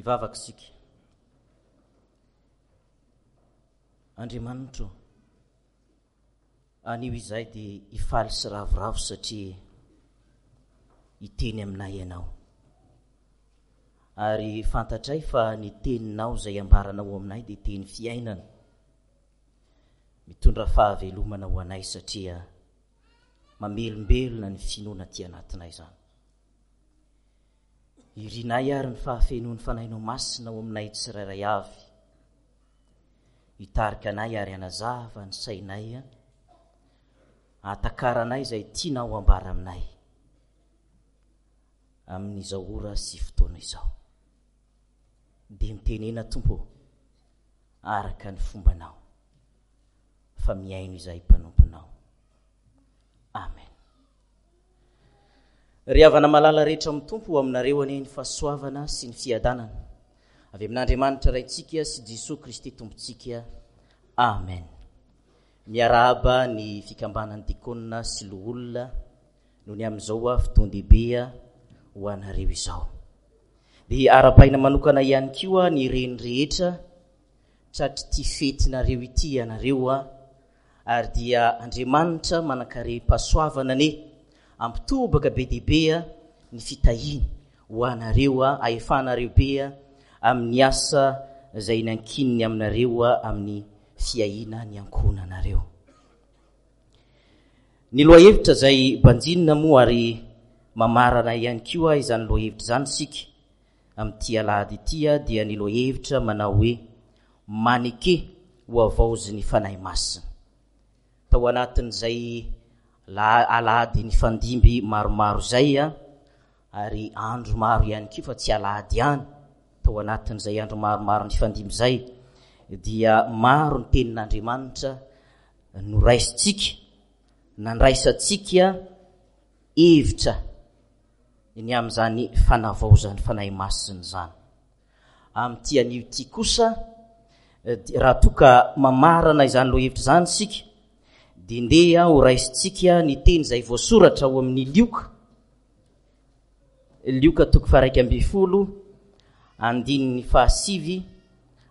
Hivavaka isika. Andriamanitro, anio izahay dia hifaly sy ravoravo satria hiteny aminay Ianao. Ary fantatray fa ny teninao izay ambaranao aminay dia teny fiainana. Mitondra fahavelomana ho anay satria mamelombelona ny finoana aty anatinay izany. Irinay ary ny fahafenoan'ny Fanahinao Masina ao aminay tsirairay avy. Hitarika anay ary hanazava ny sainay, hahatakaranay izay tianao hambara aminay amin'izao ora sy fotoana izao. Dia mitenena Tompo ô, araka ny fombanao, fa mihaino izahay mpanomponao. Amen. Ry havana malala rehetra amin'ny Tompo, ho aminareo anie ny fahasoavana sy ny fiadanana avy amin'Andriamanitra Raintsika sy Jesoa Kristy Tompontsika. Amen. Miarahaba ny fikambanan'ny dikônina sy loholona noho ny amin'izao fotoan-dehibe ho anareo izao. Dia arahabaina manokana ihany koa ny reny rehetra tratr'ity fetinareo ity ianareo Ary dia Andriamanitra manankarem-pahasoavana anie ampitobaka be dia be ny fitahiany ho anareo ahefanareo be amin'ny asa izay nankininy aminareo amin'ny fiahiana ny ankohonanareo. Ny lohahevitra izay banjinina moa ary mamarana ihany koa izany lohahevitra izany isika amin'ity alahady ity dia ny lohahevitra manao hoe Maneke ho havaozin'ny Fanahy Masina. Tao anatin'izay alahady nifandimby maromaro izay, ary andro maro ihany koa fa tsy alahady ihany, tao anatin'izay andro maromaro nifandimby izay, dia maro ny tenin'Andriamanitra noraisintsika, nandraisantsika hevitra ny amin'izany fanavaozan'ny Fanahy Masina izany. Amin'ity anio ity kosa, raha toa ka mamarana izany lohahevitra izany isika, dia ndeha ho raisintsika ny teny izay voasoratra ao amin'ny Lioka, Lioka toko faharaika ambin'ny folo, andininy fahasivy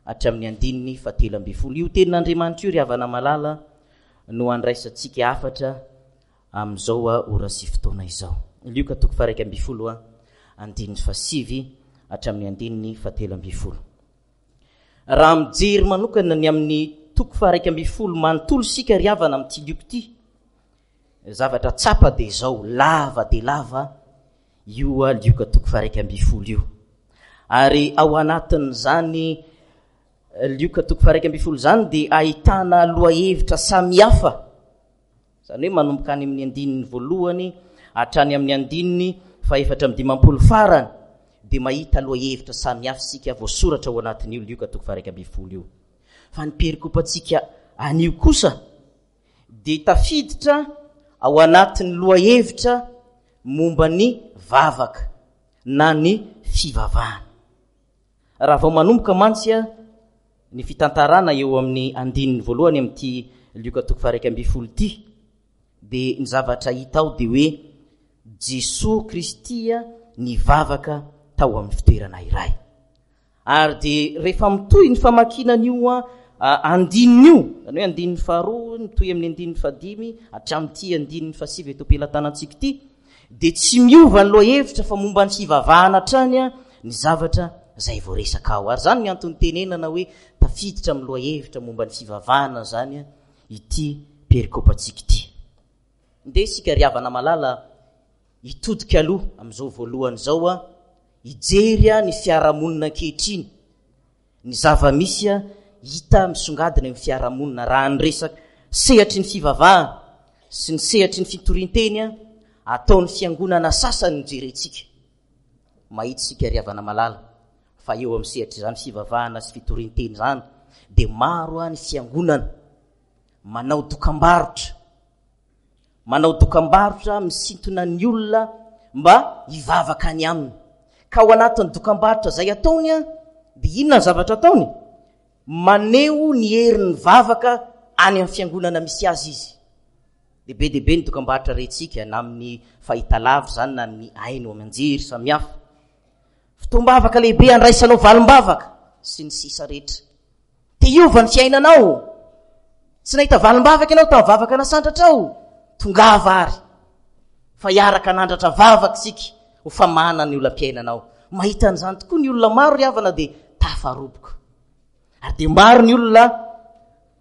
hatramin'ny andininy fahatelo ambin'ny folo. Io tenin'Andriamanitra io ry havana malala no andraisantsika hafatra amin'izao ora sy fotoana izao. Lioka toko faha 11 andininy fahasivy hatramin'ny andininy fahatelo ambin'ny folo. Raha mijery manokana ny amin'ny toko faha 11 manontolo isika ry havana amin'ity Lioka ity, zavatra tsapa dia izao, lava dia lava io Lioka toko faha 11 io. Ary ao anatin'izany Lioka toko faha 11 izany dia ahitana lohahevitra samihafa Izany hoe manomboka any amin'ny andininy voalohany hatrany amin'ny andininy fahefatra amby dimampolo farany dia mahita lohahevitra samihafa isika voasoratra ao anatin'io Lioka toko faha 11 io. Fa ny perikopantsika anio kosa dia tafiditra ao anatin'ny lohahevitra momba ny vavaka na ny fivavahana. Raha vao manomboka mantsy ny fitantarana eo amin'ny andininy voalohany amin'ity Lioka toko faha 11 ity, dia ny zavatra hita ao dia hoe Jesoa Kristy nivavaka tao amin'ny fitoerana iray. Ary dia rehefa mitohy ny famakiana an'io andininy io, izany hoe andininy faharoa mitohy amin'ny andininy fahadimy hatramin'ity andininy fahasivy eto am-pelatanantsika ity, dia tsy miova ny lohahevitra fa momba ny fivavahana hatrany ny zavatra izay voaresaka ao. Ary izany ny antony tenenana hoe tafiditra amin'ny lohahevitra momba ny fivavahana izany ity perikopantsika ity. Ndeha isika ry havana malala hitodika aloha amin'izao voalohany izao hijery ny fiarahamonina ankehitriny. Ny zava-misy hita misongadina eo amin'ny fiarahamonina raha ny resaka sehatry ny fivavahana sy ny sehatry ny fitorian-teny ataon'ny fiangonana sasany no jerentsika. Mahita isika ry havana malala fa eo amin'ny sehatr'izany fivavahana sy fitorian-teny izany dia maro ny fiangonana manao dokambarotra Manao dokambarotra misintona ny olona mba hivavaka any aminy. Ka ao anatin'ny dokambarotra izay ataony dia inona ny zavatra ataony? Maneho ny herin'ny vavaka any amin'ny fiangonana misy azy izy. Dia be dia be ny dokambarotra rentsika na amin'ny fahitalavitra izany na amin'ny haino aman-jery samihafa. Fotoam-bavaka lehibe handraisanao valim-bavaka sy ny sisa rehetra. Te hiova ny fiainanao. Tsy nahita valim-bavaka ianao tamin'ny vavaka nasandratrao. Tongava ary fa hiaraka hanandratra vavaka isika ho famahana ny olam-piainanao. Mahita an'izany tokoa ny olona maro ry havana dia tafaroboka. Ary dia maro ny olona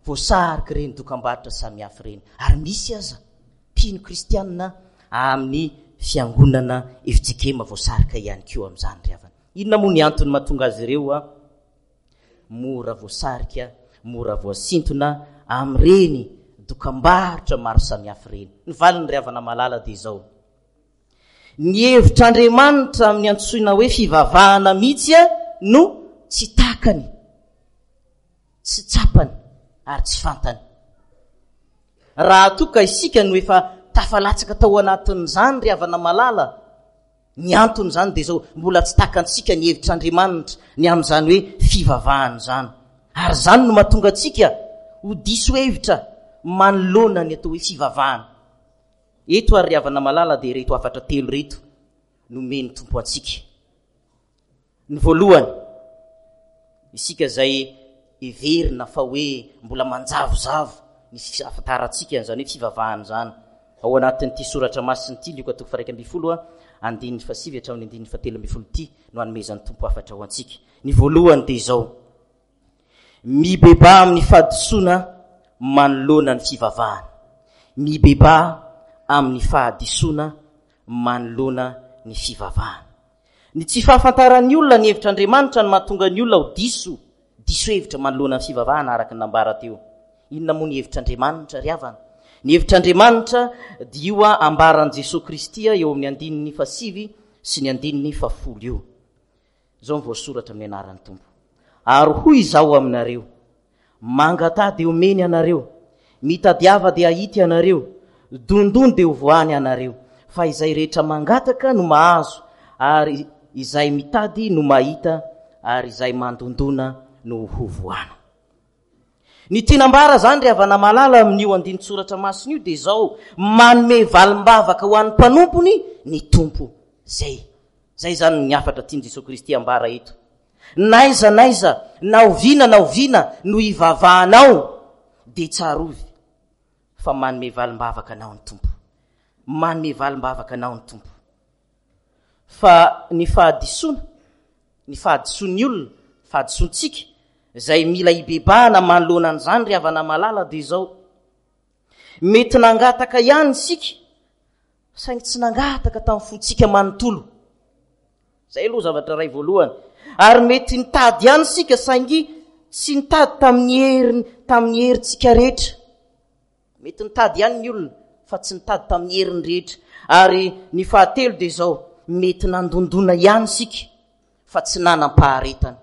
voasariky ireny dokam-barotra samihafa ireny. Ary misy aza mpino kristianina amin'ny fiangonana fjkm voasarika ihany koa amin'izany ry havana. Inona moa ny antony mahatonga azy ireo mora voasarika, mora voasintona amin'ireny dokam-barotra maro samihafa ireny? Ny valiny ry havana malala dia izao. Ny hevitr'Andriamanitra amin'ny antsoina hoe fivavahana mihitsy no tsy takany. tsy tsapany ary tsy fantany. Raha toa ka isika no efa tafalatsaka tao anatin'izany ry havana malala, ny anton'izany dia izao, mbola tsy takantsika ny hevitr'Andriamanitra ny amin'izany hoe fivavahana izany. Ary izany no mahatonga antsika ho diso hevitra manoloana ny atao hoe fivavahana. Eto ary ry havana malala dia ireto hafatra telo ireto nomen'ny Tompo antsika. Ny voalohany, isika izay heverina fa hoe mbola manjavozavo ny fiafantarantsika an'izany hoe fivavahana izany. Ao anatin'ity soratra masina ity, Lioka toko faha-11, andininy fahasivy hatramin'ny andininy fahatelo ambin'ny folo ity no anomezan'ny Tompo hafatra ho antsika. Ny voalohany dia izao, Mibebaha amin'ny fahadisoana manoloana ny fivavahana. Mibebaha amin'ny fahadisoana manoloana ny fivavahana. Ny tsy fahafantaran'ny olona ny hevitr'Andriamanitra no mahatonga ny olona ho diso, diso hevitra manoloana ny fivavahana araka ny nambara teo. Inona moa ny hevitr'Andriamanitra ry havana? Ny hevitr'Andriamanitra dia io ambaran'i Jesoa Kristy eo amin'ny andininy fahasivy sy ny andininy fahafolo io. Izao no voasoratra amin'ny anaran'ny Tompo. Ary hoy izaho aminareo, Mangataha dia homeny ianareo, mitadiava dia hahita ianareo, dondony dia hovoahany ianareo. Fa izay rehetra mangataka no mahazo, ary izay mitady no mahita, ary izay mandondona no hovoahana. Ny tiana ambara izany ry havana malala amin'io andinin-tsoratra masina io dia izao, manome valim-bavaka ho an'ny mpanompony ny Tompo. Izay. Izay izany ny hafatra tian'i Jesoa Kristy ambara eto. N'aiza n'aiza, na oviana na oviana no hivavahanao, dia tsarovy fa manome valim-bavaka anao ny Tompo. Manome valim-bavaka anao ny Tompo. Fa ny fahadisoana, ny fahadisoan'ny olona, fahadisoantsika, izay mila hibebahana manoloana an'izany ry havana malala dia izao, mety nangataka ihany isika, saingy tsy nangataka tamin'ny fontsika manontolo. Izay aloha zavatra iray voalohany. Ary mety nitady ihany isika saingy tsy nitady tamin'ny heriny, tamin'ny herintsika rehetra. Mety nitady ihany ny olona fa tsy nitady tamin'ny heriny rehetra. Ary ny fahatelo dia izao, mety nandondona ihany isika fa tsy nanam-paharetana.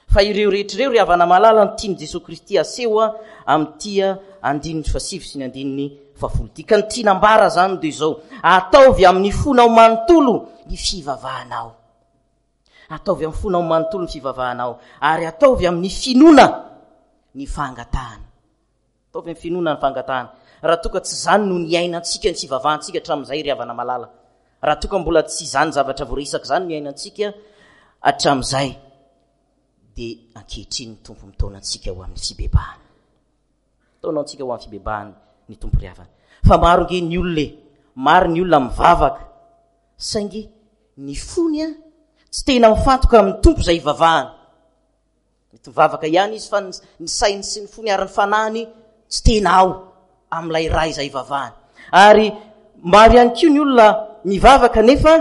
Fa ireo rehetra ireo ry havana malala no tian'i Jesoa Kristy aseho amin'ity andininy fahasivy sy ny andininy fahafolo ity. Ka ny tiana ambara izany dia izao, ataovy amin'ny fonao manontolo ny fivavahanao. Ataovy amin'ny fonao manontolo ny fivavahanao ary ataovy amin'ny finoana ny fangatahana. Ataovy amin'ny finoana ny fangatahana. Raha toa ka tsy izany no niainantsika ny fivavahantsika hatramin'izay ry havana malala. Raha toa ka mbola tsy izany zavatra voaresaka izany no niainantsika hatramin'izay, dia ankehitriny ny Tompo mitaona antsika ho amin'ny fibebahana. Mitaona antsika ho amin'ny fibebahana ny Tompo ry havana. Fa maro nge ny olona e, maro ny olona mivavaka, saingy ny fony a, tsy tena mifantoka amin'ny Tompo izay ivavahana. Mety mivavaka ihany izy fa ny sainy sy ny fony ary ny fanahiny tsy tena ao amin'ilay Ray izay ivavahany. Ary maro ihany koa ny olona mivavaka nefa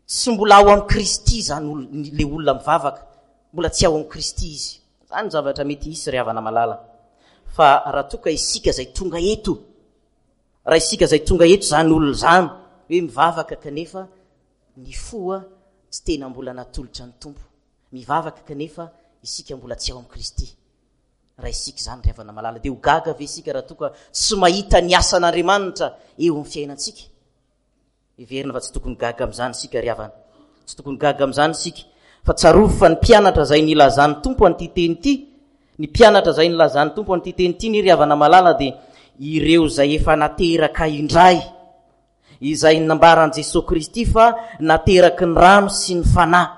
tsy mbola ao amin'i Kristy izany le olona mivavaka. Mbola tsy ao amin'i Kristy izy. Izany ny zavatra mety hisy ry havana malala. Fa raha toa ka isika izay tonga eto, raha isika izay tonga eto izany olona izany, hoe mivavaka kanefa Ny fo tsy tena mbola natolotra ny Tompo. Mivavaka kanefa isika mbola tsy ao amin'i Kristy. Raha isika izany ry havana malala, dia ho gaga ve isika raha toa ka tsy mahita ny asan'Andriamanitra eo amin'ny fiainantsika? Heverina fa tsy tokony gaga amin'izany isika ry havana. Tsy tokony gaga amin'izany isika. Fa tsarovy fa ny mpianatra izay nilazan'ny Tompo an'ity teny ity, ny mpianatra izay nilazan'ny Tompo an'ity teny ity ny ry havana malala dia ireo izay efa nateraka indray. Izay nambaran'i Jesoa Kristy fa nateraky ny rano sy ny Fanahy.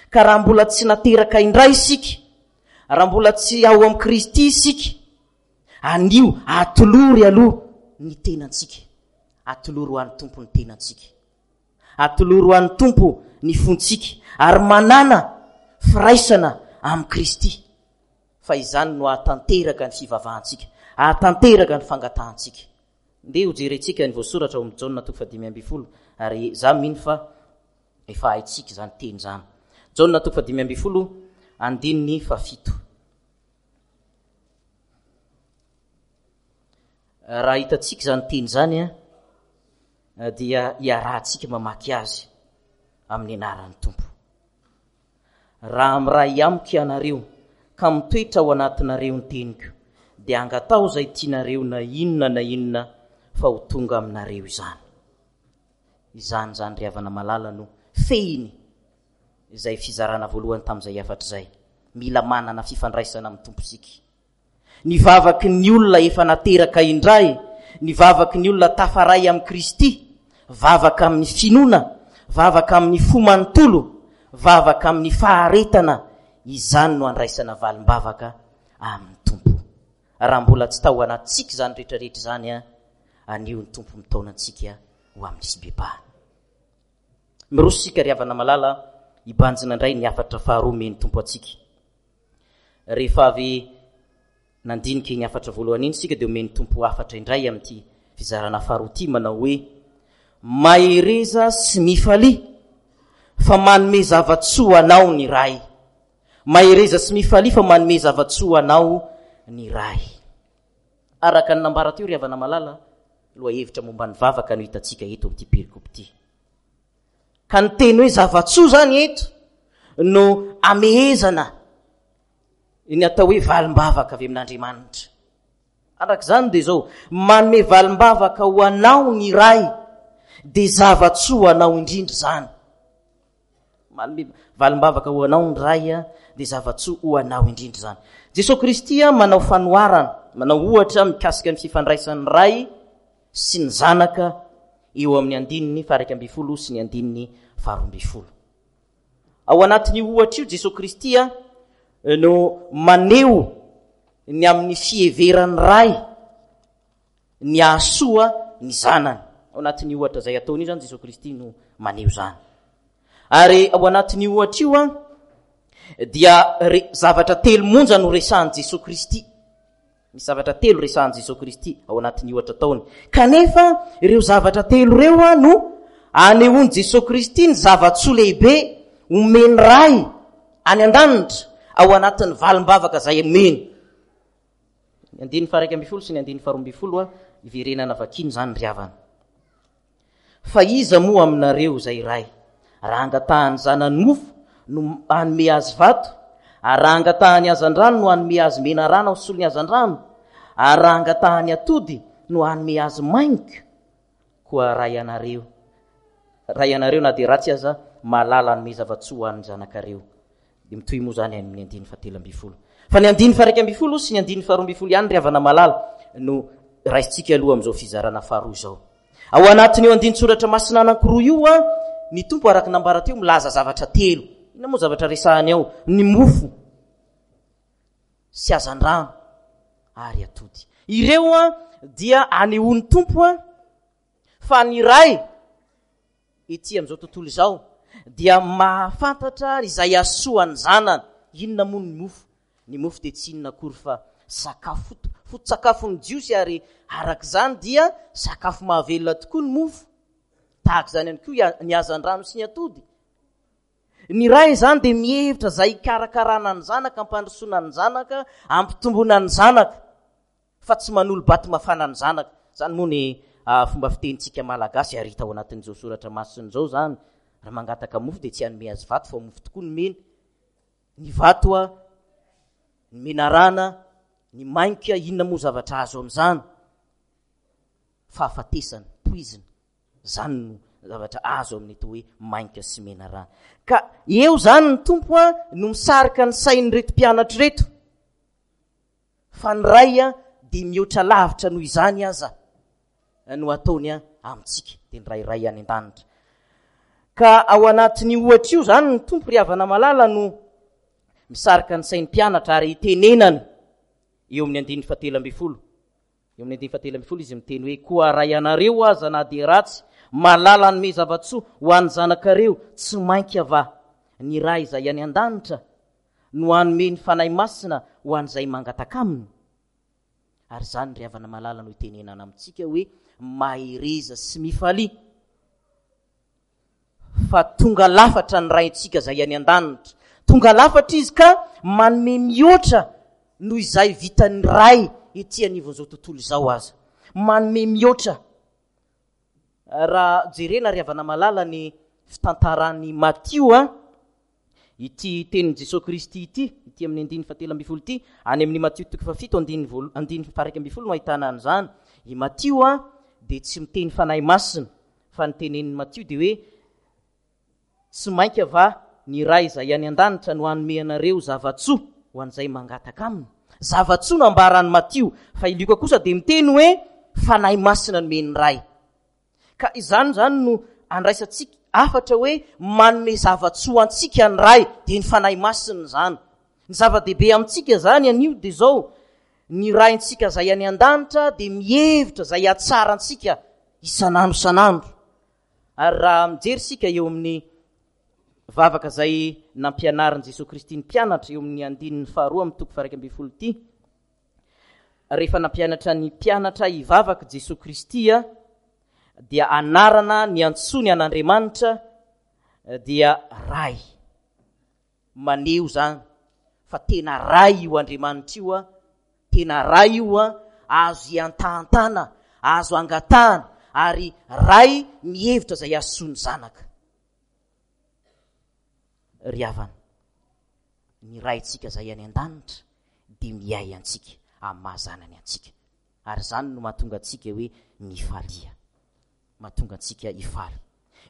Ka raha mbola tsy nateraka indray isika, raha mbola tsy ao amin'i Kristy isika, anio atolory aloha ny tenantsika. Atolory ho an'ny Tompo ny tenantsika. Atolory ho an'ny Tompo ny fontsika ary manàna firaisana amin'i Kristy fa izany no hahatanteraka ny fivavahantsika, hahatanteraka ny fangatahantsika. Ndeha hojerentsika ny voasoratra ao amin'ny Jaona toko fahadimy ambin'ny folo ary za mino fa efa haintsika izany teny izany. Jaona toko fahadimy ambin'ny folo andininy fahafito. Raha hitantsika izany teny izany dia iarahantsika mamaky azy amin'ny anaran'ny Tompo. Raha miray amiko ianareo ka mitoetra ao anatinareo ny teniko, dia angataho izay tianareo na inona na inona fa ho tonga aminareo izany. Izany izany ry havana malala no fehiny izay fizarana voalohany tamin'izay hafatra izay. Mila manana fifandraisana amin'ny Tompo isika. Ny vavaky ny olona efa nateraka indray, ny vavaky ny olona tafaray amin'i Kristy, vavaka amin'ny finoana, vavaka amin'ny fo manontolo, vavaka amin'ny faharetana, izany no andraisana valim-bavaka amin'ny Tompo. Raha mbola tsy tao anatintsika izany rehetrarehetra izany, anio ny Tompo mitaona antsika ho amin'ny fibebahana. Miroso isika ry havana malala hibanjina indray ny hafatra faharoa omen'ny Tompo antsika. Rehefa avy nandinika iny hafatra voalohany iny isika dia omen'ny Tompo hafatra indray amin'ity fizarana faharoa ity manao hoe Mahereza sy mifalia fa manome zava-tsoa anao ny Ray. Mahereza sy mifalia fa manome zava-tsoa anao ny Ray. Araka ny nambara teo ry havana malala, lohahevitra momba ny vavaka no hitantsika eto amin'ity perikopa ity. Ka ny teny hoe zava-tsoa izany eto no amehezana ny atao hoe valim-bavaka avy amin'Andriamanitra. Araka izany dia izao, manome valim-bavaka ho anao ny Ray, dia zava-tsoa ho anao indrindra izany. Manome valim-bavaka ho anao ny Ray, dia zava-tsoa ho anao indrindra izany. Jesosy Kristy manao fanoharana, manao ohatra mikasika ny fifandraisan'ny Ray sy ny Zanaka eo amin'ny andininy faha-11 sy ny andininy faha-12. Ao anatin'io ohatra io Jesosy Kristy no maneho ny amin'ny fiheveran'ny Ray ny hahasoa ny zanany. Ao anatin'io ohatra izay ataony io izany Jesosy Kristy no maneho izany. Ary ao anatin'io ohatra io an dia zavatra telo monja no resahan'i Jesosy Kristy. Misy zavatra telo resahan'i Jesoa Kristy ao anatin'ny ohatra ataony. Kanefa ireo zavatra telo ireo no anehoan'i Jesoa Kristy ny zava-tsoa lehibe omen'ny Ray any an-danitra ao anatin'ny valim-bavaka izay omeny. Ny andininy faha-11 sy ny andininy faha-12 iverenana vakiana izany ry havana. Fa iza moa aminareo izay ray, raha angatahan'ny zanany mofo, no hanome azy vato? Ary raha angatahany hazandrano, no hanome azy menarana ho solon'ny hazandrano? Ary raha angatahany atody, no hanome azy maingoka? Koa raha ianareo, raha ianareo na dia ratsy aza, mahalala hanome zava-tsoa ho an'ny zanakareo, Dia mitohy moa izany amin'ny andininy fahatelo ambin'ny folo. Fa ny andininy faha-11 sy ny andininy faha-12 ihany ry havana malala no raisintsika aloha amin'izao fizarana faharoa izao. Ao anatin'io andinin-tsoratra masina anankiroa io an, ny Tompo araka nambara teo milaza zavatra telo. Inona moa zavatra resahany ao? Ny mofo sy hazandrano ary atody. Ireo an dia anehoan'ny Tompo an fa ny Ray ety amin'izao tontolo izao dia mahafantatra izay hahasoa ny zanany. Inona moa ny mofo? Ny mofo dia tsy inona akory fa sakafo foto-tsakafon'ny Jiosy ary araka izany dia sakafo mahavelona tokoa ny mofo. Tahaka izany ihany koa ny hazandrano sy ny atody. Ny ray izany dia mihevitra izay hikarakarana ny zanaka, hampandrosoana ny zanaka, hampitomboana ny zanaka. fa tsy manolo-bato mafana ny zanaka. Izany moa ny fomba fitenintsika malagasy ary hita ao anatin'izao soratra masina izao izany. Raha mangataka mofo dia tsy hanome azy vato fa mofo tokoa no mena. Ny vato a, ny menarana, ny mainka, inona moa zavatra azo amin'izany? Fahafatesana, poizina. Izany no zavatra azo amin'ny atao hoe mainka sy menarana. Ka eo izany ny Tompo a no misarika ny sain'ireto mpianatra ireto. Fa ny Ray dia mihoatra lavitra noho izany aza no ataony amintsika, dia ny Ray Ray any an-danitra. Ka ao anatin'io ohatra io izany ny Tompo ry havana malala no misarika ny sain'ny mpianatra ary itenenany eo amin'ny andininy fahatelo ambin'ny folo. Eo amin'ny andininy fahatelo ambin'ny folo izy miteny hoe, Koa raha ianareo aza na dia ratsy, mahalala hanome zava-tsoa ho an'ny zanakareo, tsy mainka va ny Ray izay any an-danitra no hanome ny Fanahy Masina ho an'izay mangataka aminy? Ary izany ry havana malala no itenenana amintsika hoe mahereza sy mifalia fa tonga lafatra ny Raintsika izay any an-danitra. Tonga lafatra Izy ka manome mihoatra noho izay vitan'ny Ray ety anivon'izao tontolo izao aza. Manome mihoatra. Raha jerena ry havana malala ny fitantaran'i Matio a, Ity tenin'i Jesoa Kristy ity, ity amin'ny andininy fahatelo ambin'ny folo ity, any amin'ny Matio toko fahafito andininy voalo-, andininy faha-iraika ambin'ny folo no ahitana an'izany. I Matio dia tsy miteny Fanahy Masina, fa ny tenenin'i Matio dia hoe, Tsy mainka va ny Ray izay any an-danitra no hanome anareo zava-tsoa ho an'izay mangataka Aminy? Zava-tsoa no ambaran'i Matio, fa i Lioka kosa dia miteny hoe, Fanahy Masina nomen'ny Ray. Ka izany izany no andraisantsika hafatra hoe manome zava-tsoa antsika ny Ray, dia ny Fanahy Masina izany. Ny zava-dehibe amintsika izany anio dia izao, ny Raintsika izay any an-danitra dia mihevitra izay hahatsara antsika isan'andro isan'andro. Ary raha mijery isika eo amin'ny vavaka izay nampianarin'i Jesoa Kristy ny mpianatra eo amin'ny andininy faharoa amin'ny toko faha-iraika ambin'ny folo ity, Rehefa nampianatra ny mpianatra hivavaka Jesoa Kristy dia anarana niantsoany an'Andriamanitra dia Ray. Maneho izany fa tena Ray io Andriamanitra io, tena Ray io, azo iantahantana, azo angatahana ary Ray mihevitra izay hahasoa ny zanaka. Ry havana, ny Raintsika izay any an-danitra dia miahy antsika amin'ny maha zanany antsika. Ary izany no mahatonga antsika hoe mifalia. Mahatonga antsika hifaly.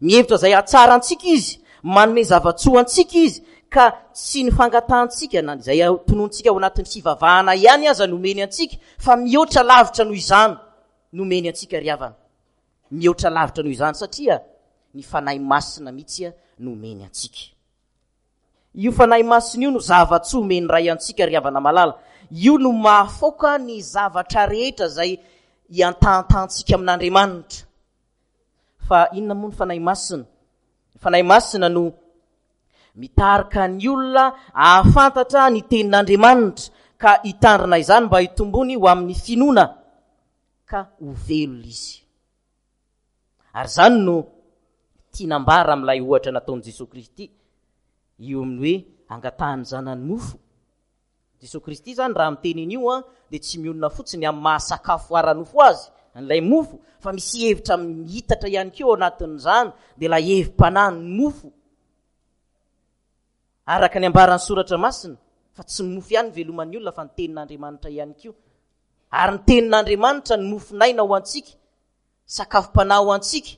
Mihevitra izay hahatsara antsika Izy, manome zava-tsoa antsika Izy, ka tsy ny fangatahantsika na izay tonontsika ao anatin'ny fivavahana ihany aza no omeny antsika, fa mihoatra lavitra noho izany no omeny antsika ry havana. Mihoatra lavitra noho izany satria ny Fanahy Masina mihitsy no omeny antsika. Io Fanahy Masina io no zava-tsoa omen'ny Ray antsika ry havana malala. Io no mahafaoka ny zavatra rehetra izay iantahantahantsika amin'Andriamanitra. Fa inona moa ny Fanahy Masina? Ny Fanahy Masina no mitarika ny olona ahafantatra ny tenin'Andriamanitra ka hitandrina izany mba hitombony ho amin'ny finoana ka ho velona izy. Ary izany no tiana ambara amin'ilay ohatra nataon'i Jesoa Kristy io amin'ny hoe angatahan'ny zanany mofo. Jesoa Kristy izany raha miteny an'io an, dia tsy mionona fotsiny amin'ny maha sakafo ara-nofo azy an'ilay mofo, fa misy hevitra miitatra ihany koa ao anatin'izany, dia ilay hevi-panahy ny mofo. Araka ny ambaran'ny Soratra Masina, fa tsy ny mofo ihany no veloman'ny olona fa ny tenin'Andriamanitra ihany koa. Ary ny tenin'Andriamanitra no mofon'aina ho antsika, sakafom-panahy ho antsika.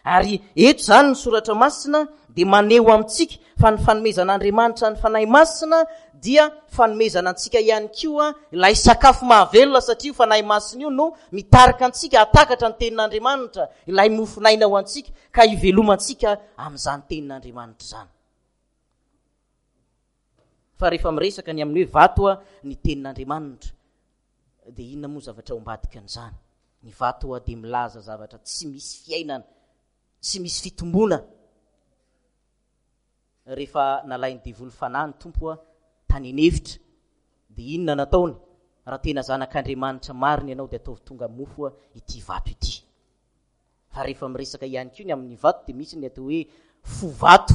Ary eto izany ny Soratra Masina dia maneho amintsika fa ny fanomezan'Andriamanitra ny Fanahy Masina dia fanomezana antsika ihany koa ilay sakafo mahavelona satria io Fanahy Masina io no mitarika antsika hahatakatra ny tenin'Andriamanitra, ilay mofon'aina ho antsika ka hivelomantsika amin'izany tenin'Andriamanitra izany. Fa rehefa miresaka ny amin'ny hoe vato ny tenin'Andriamanitra, dia inona moa zavatra ao ambadika an'izany? Ny vato dia milaza zavatra tsy misy fiainana, tsy misy fitomboana. Rehefa nalain'ny devoly fanahy ny Tompo tany an'efitra, dia inona nataony? Raha tena zanak'Andriamanitra marina ianao dia ataovy tonga mofo ity vato ity. Fa rehefa miresaka ihany koa ny amin'ny vato dia misy ny atao hoe fo vato.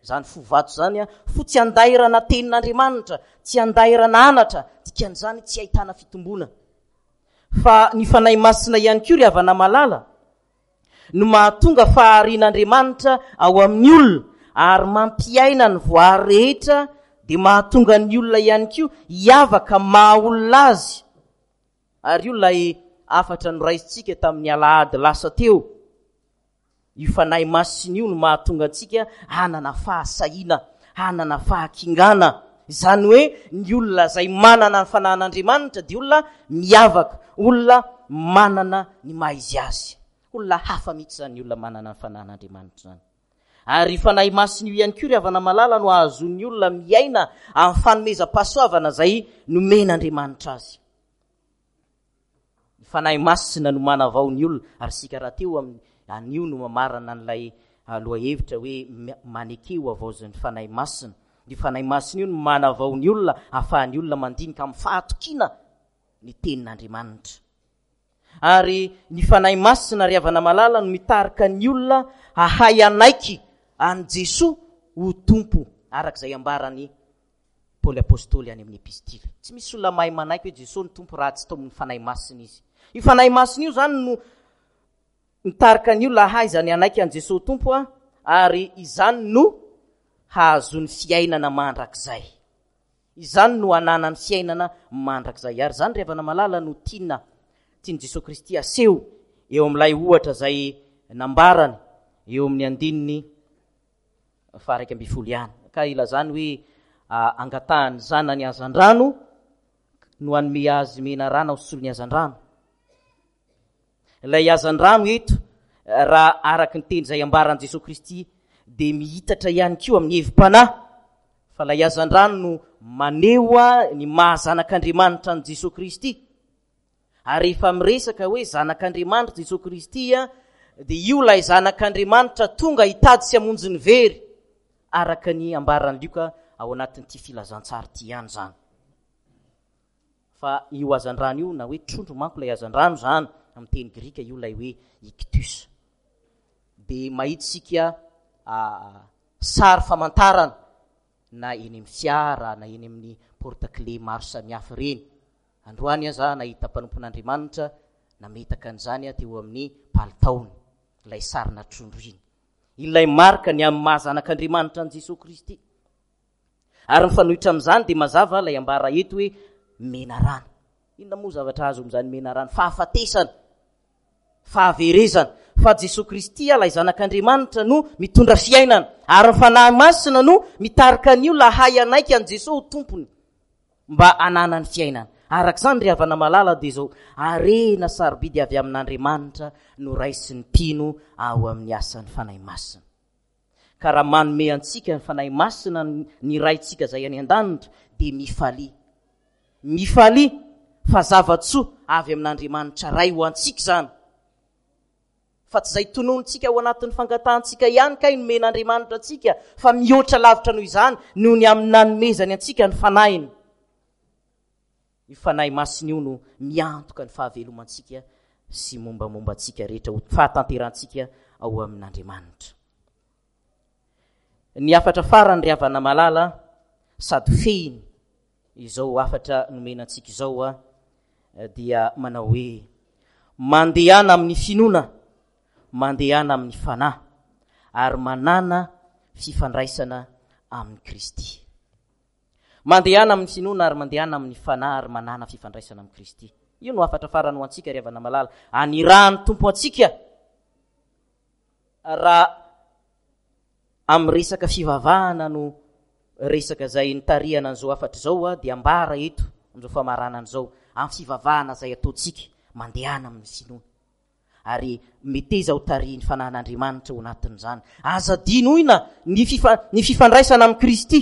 Izany fo vato izany an, fo tsy andairana tenin'Andriamanitra, tsy andairana anatra, dikan'izany tsy ahitana fitomboana. Fa ny Fanahy Masina ihany koa ry havana malala no mahatonga faharian'Andriamanitra ao amin'ny olona ary mampiaina ny voary rehetra dia mahatonga ny olona ihany koa hiavaka maha olona azy. Ary io ilay hafatra noraisintsika tamin'ny alahady lasa teo. Io Fanahy Masina io no mahatonga antsika hanana fahasahiana, hanana fahakingana. Izany hoe ny olona izay manana ny Fanahin'Andriamanitra dia olona miavaka, olona manana ny maha izy azy. Olona hafa mihitsy izany olona manana ny Fanahin'Andriamanitra izany. Ary io Fanahy Masina io ihany koa ry havana malala no ahazoan'ny olona miaina amin'ny fanomezam-pahasoavana izay nomen'Andriamanitra azy. Ny Fanahy Masina no manavao ny olona, ary isika rahateo amin'ny anio no mamarana an'ilay ah, lohahevitra hoe maneke ho havaozin'ny Fanahy Masina. Io Fanahy Masina io no manavao ny olona, ahafahan'ny olona mandinika amin'ny fahatokiana ny tenin'Andriamanitra. Ary ny Fanahy Masina ry havana malala no mitarika ny olona hahay hanaiky an'i Jesoa ho Tompo, araka izay ambaran'i Paoly Apostoly any amin'ny Epistily. Tsy misy olona mahay manaiky hoe Jesoa no Tompo raha tsy taomin'ny Fanahy Masina izy. Io Fanahy Masina io izany no mitarika ny olona hahay izany hanaiky an'i Jesoa ho Tompo ary izany no hahazoany fiainana mandrakizay. Izany no hananany fiainana mandrakizay. Ary izany ry havana malala no tiana, tian'i Jesoa Kristy aseho eo amin'ilay ohatra izay nambarany eo amin'ny andininy faha-11 ihany. Ka ilazany hoe angatahan'ny zanany hazandrano no hanome azy menarana ho solon'ny hazandrano. Ilay hazandrano eto, raha araka ny teny izay ambaran'i Jesoa Kristy, dia mihitatra ihany koa amin'ny hevi-panahy, fa ilay hazandrano no maneho ny maha zanak'Andriamanitra an'i Jesoa Kristy. Ary rehefa miresaka hoe zanak'Andriamanitra Jesoa Kristy, dia io ilay zanak'Andriamanitra tonga hitady sy hamonjy ny very, araka ny ambaran'i Lioka ao anatin'ity filazantsara ity ihany izany. Fa io hazandrano io, na hoe trondro manko ilay hazandrano izany, amin'ny teny grika io ilay hoe ichthus. Dia mahita isika sary famantarana na eny amin'ny fiara na eny amin'ny porte-clés maro samihafa ireny. Androany aza nahita mpanompon'Andriamanitra nametaka an'izany teo amin'ny palitaony, ilay sarina trondro iny. Ilay marika ny amin'ny maha zanak'Andriamanitra an'i Jesoa Kristy. Ary mifanohitra amin'izany dia mazava ilay ambara eto hoe menarana. Inona moa zavatra azo amin'izany menarana? Fahafatesana, fahaverezana. Fa Jesoa Kristy ilay Zanak'Andriamanitra no mitondra fiainana. Ary ny Fanahy Masina no mitarika ny olona hahay hanaiky an'i Jesoa ho Tompony mba hananany fiainana. Araka izany ry havana malala dia izao harena sarobidy avy amin'Andriamanitra no raisin'ny mpino ao amin'ny asan'ny Fanahy Masina. Ka raha manome antsika ny Fanahy Masina ny Raintsika izay any an-danitra, dia mifalia. Mifalia fa zava-tsoa avy amin'Andriamanitra Ray ho antsika izany. Fa tsy izay tononintsika ao anatin'ny fangatahantsika ihany kay nomen'Andriamanitra antsika, fa mihoatra lavitra noho izany noho ny amin'ny nanomezany antsika ny Fanahiny. Io Fanahy Masina io no miantoka ny fahavelomantsika sy mombamomba antsika rehetra ho fahatanterantsika ao amin'Andriamanitra. Ny hafatra farany ry havana malala sady fehiny izao hafatra nomena antsika izao a dia manao hoe mandehana amin'ny finoana, mandehana amin'ny fanahy ary manana fifandraisana amin'i Kristy. Mandehana amin'ny finoana ary mandehana amin'ny fanahy ary manàna fifandraisana amin'i Kristy. Io no hafatra farany ho antsika ry havana malala. Anirahan'ny Tompo antsika raha amin'ny resaka fivavahana no resaka izay nitarihana an'izao hafatra izao dia ambara eto amin'izao famaranana izao amin'ny fivavahana izay ataontsika mandehana amin'ny finoana. ary meteza ho tarihin'ny Fanahin'Andriamanitra ao anatin'izany. Aza adinoina ny fifa, ny fifandraisana amin'i Kristy.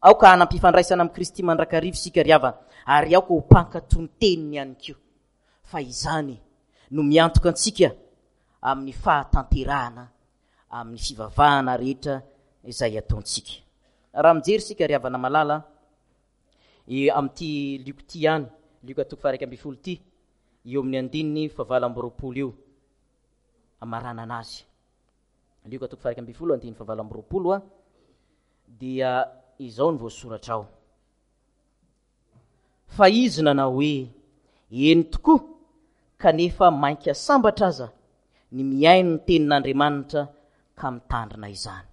Aoka hanam-pifandraisana amin'i Kristy mandrakariva isika ry havana, ary aoka ho mpankatò ny teniny ihany koa. Fa izany no miantoka antsika amin'ny fahatanterahana amin'ny fivavahana rehetra izay ataontsika. Raha mijery isika ry havana malala, e, amin'ity Lioka ity ihany, Lioka toko faha 11 ity, eo amin'ny andininy fahavalo amby 20 io, amaranana azy. Lioka toko faha 11, andininy fahavalo amby 20 a, dia izao ny voasoratra ao. Fa izy nanao hoe, eny tokoa, kanefa mainka sambatra aza ny mihaino ny tenin'Andriamanitra ka mitandrina izany.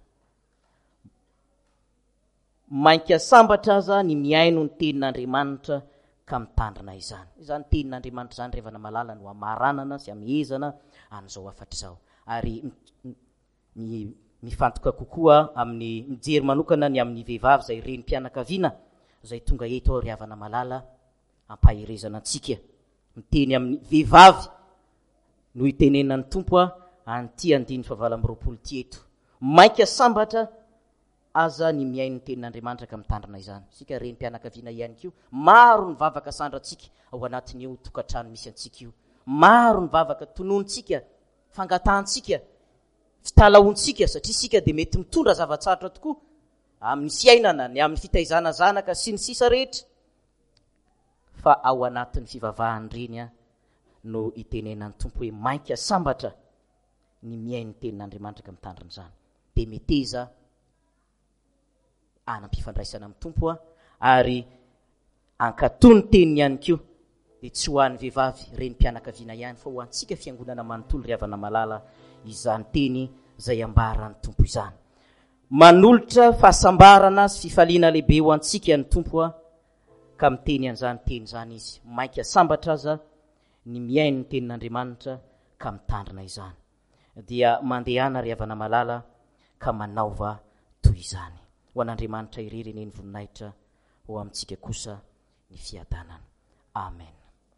Mainka sambatra aza ny mihaino ny tenin'Andriamanitra ka mitandrina izany. Izany tenin'Andriamanitra izany ry havana malala no hamaranana sy hamehezana an'izao hafatra izao. Ary mifantoka kokoa amin'ny mijery manokana ny amin'ny vehivavy izay renim-pianakaviana izay tonga eto aho ry havana malala hampaherezana antsika. Miteny amin'ny vehivavy. no itenenan'ny Tompo an'ity andininy fahavalo amby 20 ity eto. Mainka sambatra aza ny mihaino ny tenin'Andriamanitra ka mitandrina izany. Isika renim-pianakaviana ihany koa, maro ny vavaka sandrantsika ao anatin'io tokantrano misy antsika io. Maro ny vavaka tononontsika, fangatahantsika, fitalahoantsika, satria isika dia mety mitondra zava-tsarotra tokoa amin'ny fiainana, ny amin'ny fitaizana zanaka sy ny sisa rehetra. Fa ao anatin'ny fivavahan'ireny no itenenan'ny Tompo hoe mainka sambatra ny mihaino ny tenin'Andriamanitra ka mitandrina izany. Dia meteza hanam-pifandraisana amin'ny Tompo ary ankatò ny teniny ihany koa, dia tsy ho an'ny vehivavy renim-pianakaviana ihany fa ho antsika fiangonana manontolo ry havana malala izany teny izay ambaran'ny Tompo izany. Manolotra fahasambarana sy fifaliana lehibe ho antsika ny Tompo ka miteny an'izany teny izany izy. Mainka sambatra aza ny mihaino ny tenin'Andriamanitra ka mitandrina izany. Dia mandehana ry havana malala ka manaova toy izany. Ho an'Andriamanitra irery anie ny voninahitra, ho amintsika kosa ny fiadanana. Amen.